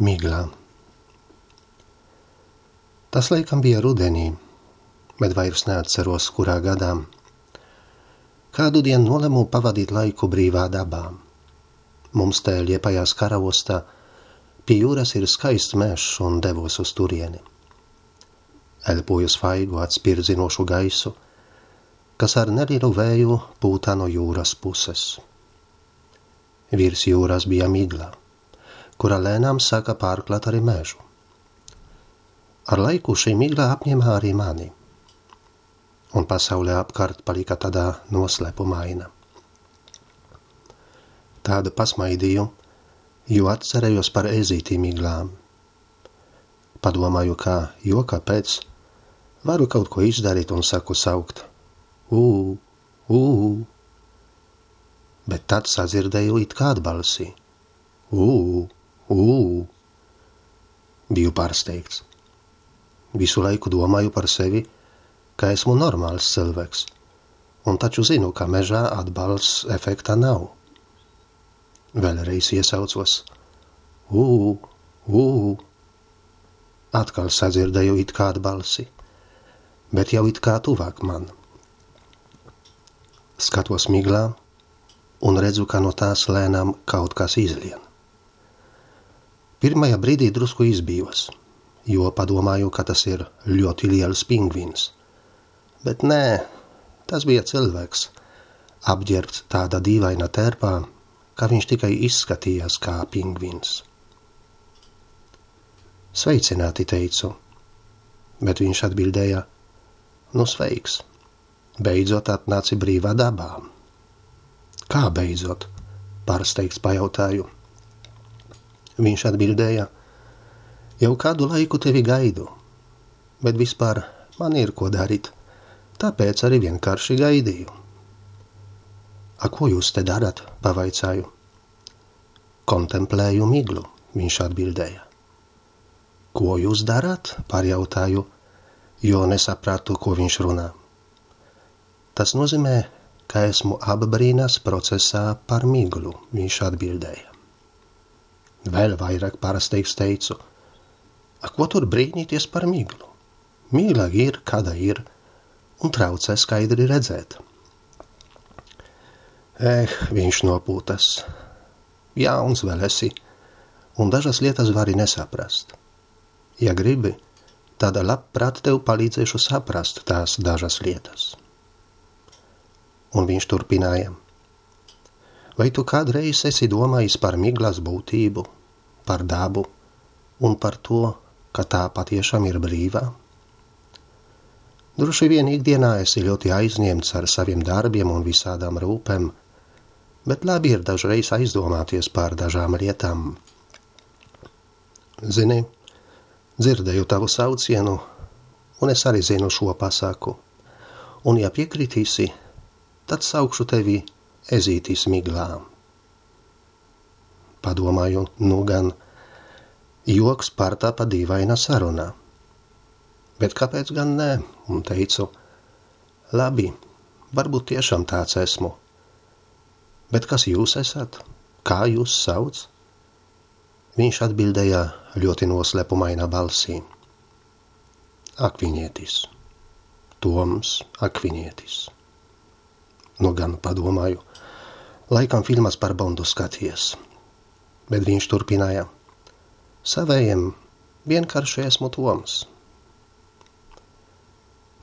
Miglā. Tas laikam bija rudenī, bet vairs neatceros, kurā gadā. Kādu dienu nolemu pavadīt laiku brīvā dabā. Mums te Liepājās Karaostā pie jūras ir skaists mežs un devos uz turieni. Elpoju svaigu atspirdzinošu gaisu, kas ar nelielu vēju pūtā no jūras puses. Virs jūras bija migla, kura lēnām sāka pārklāt arī mežu. Ar laiku šī migla apņēma arī mani, un pasaulē apkārt palika tādā noslēpumaina. Tāda pasmaidīju, jo atcerējos par ezīti miglām. Padomāju, kā joka pēc varu kaut ko izdarīt un saku saukt bet tad sadzirdēju it kā atbalsi. Biju pārsteigts. Visu laiku domāju par sevi, ka esmu normāls cilvēks, un taču zinu, ka mežā atbalsts efekta nav. Vēlreiz iesaucos. Atkal sadzirdēju it kā atbalsi, bet jau it kā tuvāk man. Skatos miglā un redzu, ka no tās lēnām kaut kas izlien. Pirmajā brīdī drusku izbijos, jo padomāju, ka tas ir ļoti liels pingvīns. Bet nē, tas bija cilvēks, apģērbts tādā dīvaina tērpā, ka viņš tikai izskatījās kā pingvīns. Sveicināti, teicu, bet viņš atbildēja, nu sveiks, beidzot atnāci brīvā dabā. Kā beidzot? Pārsteigts pajautāju. Viņš atbildēja, jau kādu laiku tevi gaidu, bet vispār man ir ko darīt, tāpēc arī vienkārši gaidīju. A, ko jūs te darat? Pavaicāju. Kontemplēju miglu, viņš atbildēja. Ko jūs darat? Pārjautāju, jo nesapratu, ko viņš runā. Tas nozīmē, ka esmu apbrīnas procesā par miglu, viņš atbildēja. Vēl vairāk pārsteigts teicu, a, ko tur brīnīties par miglu? Migla ir, kāda ir, un traucē skaidri redzēt. Viņš nopūtas. Jauns vēl esi, un dažas lietas vari nesaprast. Ja gribi, tad labprāt tev palīdzēšu saprast tās dažas lietas. Un viņš turpināja. Vai tu kādreiz esi domājis par miglas būtību, par dabu un par to, ka tā patiešām ir brīvā? Droši vien ikdienā esi ļoti aizņemts ar saviem darbiem un visādām rūpēm, bet labi ir dažreiz aizdomāties par dažām lietām. Zini, dzirdēju tavu saucienu, un es arī zinu šo pasaku, un ja piekritīsi, tad saukšu tevi ezītis miglā. Padomāju, nu gan, joks pārtāpa dīvaina sarunā. Bet kāpēc gan nē? Un teicu, labi, varbūt tiešām tāds esmu. Bet kas jūs esat? Kā jūs sauc? Viņš atbildēja ļoti noslēpumainā balsī. Akvinietis. Toms Akvinietis. Nu gan padomāju, laikam filmas par Bondu skaties. Bet viņš turpināja. Savējiem vienkārši esmu Toms.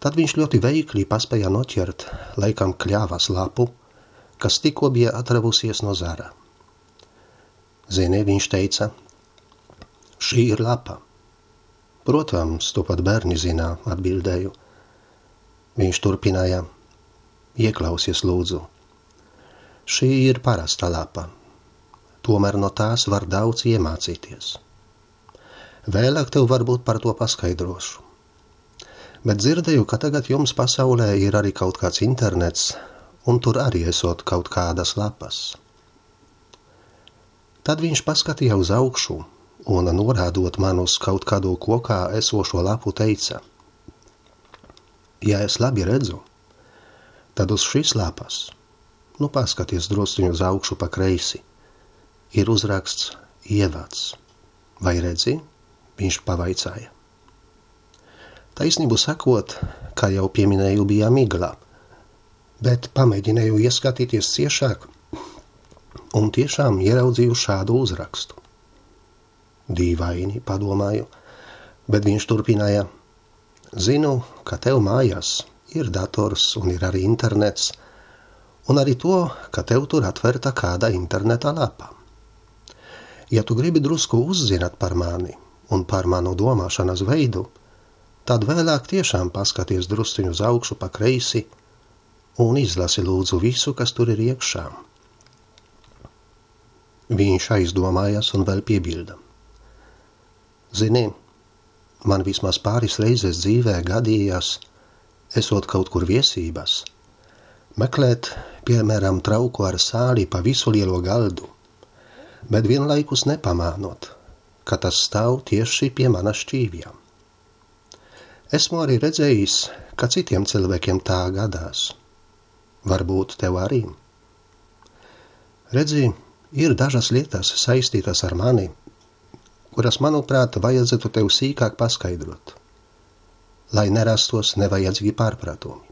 Tad viņš ļoti veikli paspēja noķert, laikam kļāvas lapu, kas tikko bija atravusies no zara. Zini, viņš teica, šī ir lapa. Protams, to pat bērni zinā, atbildēju. Viņš turpināja. Ieklausies lūdzu. Šī ir parasta lapa. Tomēr no tās var daudz iemācīties. Vēlāk tev varbūt par to paskaidrošu. Bet dzirdēju, ka tagad jums pasaulē ir arī kaut kāds internets, un tur arī esot kaut kādas lapas. Tad viņš paskatīja uz augšu, un norādot man uz kaut kādu kokā esošo lapu teica. Ja es labi redzu, tad uz šīs lapas, nu paskaties drusciņu uz augšu pa kreisi, ir uzraksts ievads. Vai redzi? Viņš pavaicāja. Taisnību sakot, kā jau pieminēju, bija migla, bet pamēģināju ieskatīties ciešāk un tiešām ieraudzīju šādu uzrakstu. Dīvaini, padomāju, bet viņš turpināja. Zinu, ka tev mājās ir dators un ir arī internets, un arī to, ka tev tur atvērta kāda interneta lapa. Ja tu gribi drusku uzzināt par mani un par manu domāšanas veidu, tad vēlāk tiešām paskaties drusciņu uz augšu pa kreisi un izlasi lūdzu visu, kas tur ir iekšā. Viņš aizdomājās un vēl piebilda. Zini, man vismaz pāris reizes dzīvē gadījās, esot kaut kur viesībās, meklēt, piemēram, trauku ar sāli pa visu lielo galdu, bet vienlaikus nepamānot, ka tas stāv tieši pie mana šķīvjām. Esmu arī redzējis, ka citiem cilvēkiem tā gadās. Varbūt tev arī. Redzi, ir dažas lietas saistītas ar mani, kuras, manuprāt, vajadzētu tev sīkāk paskaidrot, lai nerastos nevajadzīgi pārpratumi.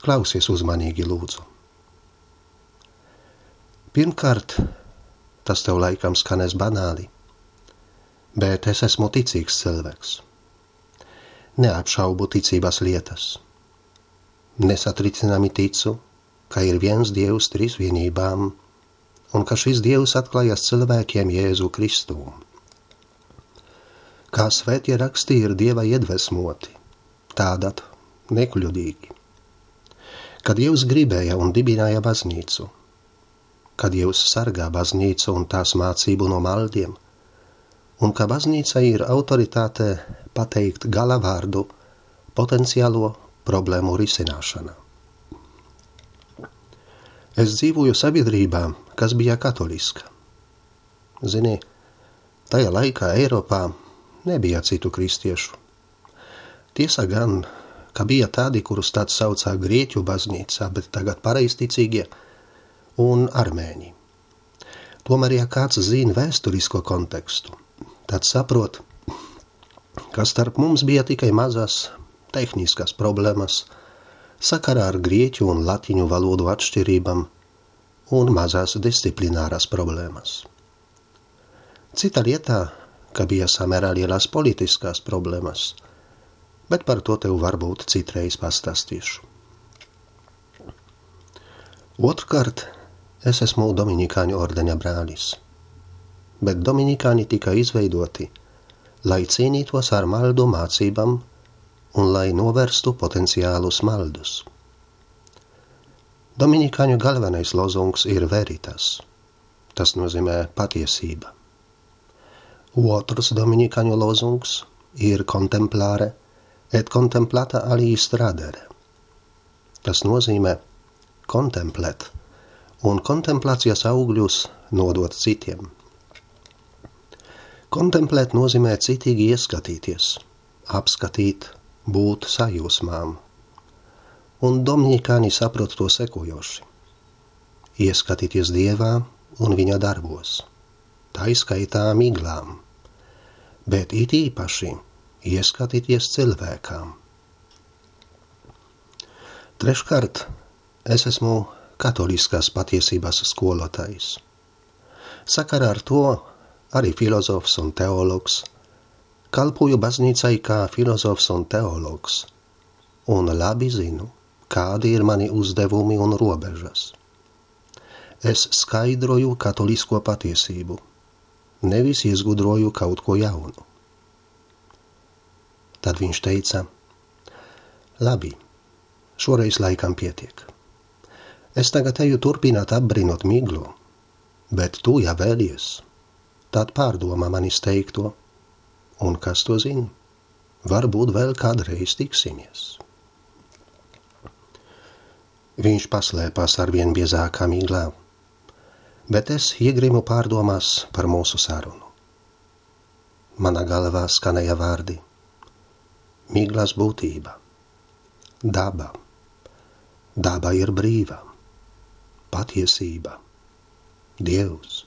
Klausies uzmanīgi, lūdzu. Pirmkārt, tas tev laikam skanēs banāli, bet es esmu ticīgs cilvēks. Neapšaubu ticības lietas. Nesatricināmi ticu, ka ir viens Dievs trīsvienībām un ka šis Dievs atklājas cilvēkiem Jēzu Kristu. Kā svētie raksti ir Dieva iedvesmoti, tādat nekļūdīgi. Kad Dievs gribēja un dibināja baznīcu, kad Dievs sargā baznīcu un tās mācību no maldiem, un ka baznīca ir autoritāte pateikt gala vārdu potenciālo problēmu risināšanā. Es dzīvoju sabiedrībā, kas bija katoliska. Zini, tajā laikā Eiropā nebija citu kristiešu. Tiesa gan, ka bija tādi, kurus tāds saucā Grieķu baznīcā, bet tagad pareizticīgie, un armēņi. Tomēr, ja kāds zina vēsturisko kontekstu, tad saprot, ka starp mums bija tikai mazas tehniskas problēmas sakarā ar grieķu un latiņu valodu atšķirībām un mazās disciplināras problēmas. Cita lietā, ka bija samērā lielas politiskās problēmas, bet par to tev varbūt citreiz pastāstīšu. Otrkārt, es esmu Dominikāņu ordeņa brālis, bet Dominikāņi tika izveidoti, lai cīnītos ar maldu mācībām un lai novērstu potenciālus maldus. Dominikāņu galvenais lozungs ir veritas, tas nozīmē patiesība. Otrs Dominikāņu lozungs ir contemplare et contemplata aliis tradere, tas nozīmē kontemplēt un kontemplācijas augļus nodot citiem. Kontemplēt nozīmē citīgi ieskatīties, apskatīt, būt sajūsmām. Un dominikāni saprot to sekojoši. Ieskatīties Dievā un viņa darbos, tā izskaitā miglām, bet it īpaši ieskatīties cilvēkām. Treškārt, es esmu katoliskās patiesības skolotājs. Sakarā ar to arī filozofs un teologs, kalpoju baznīcai kā filozofs un teologs, un labi zinu, kādi ir mani uzdevumi un robežas. Es skaidroju katolisko patiesību, nevis izgudroju kaut ko jaunu. Tad viņš teica, labi, šoreiz laikam pietiek. Es tagad eju turpināt apbrinot miglu, bet tu, ja vēlies, tad pārdomā manis teikto, un kas to zina, varbūt vēl kādreiz tiksimies. Viņš paslēpās ar vien biezākā miglā, bet es iegrimu pārdomās par mūsu sarunu. Manā galvā skanēja vārdi: miglas būtība, daba, daba ir brīva, patiesība, Dievs.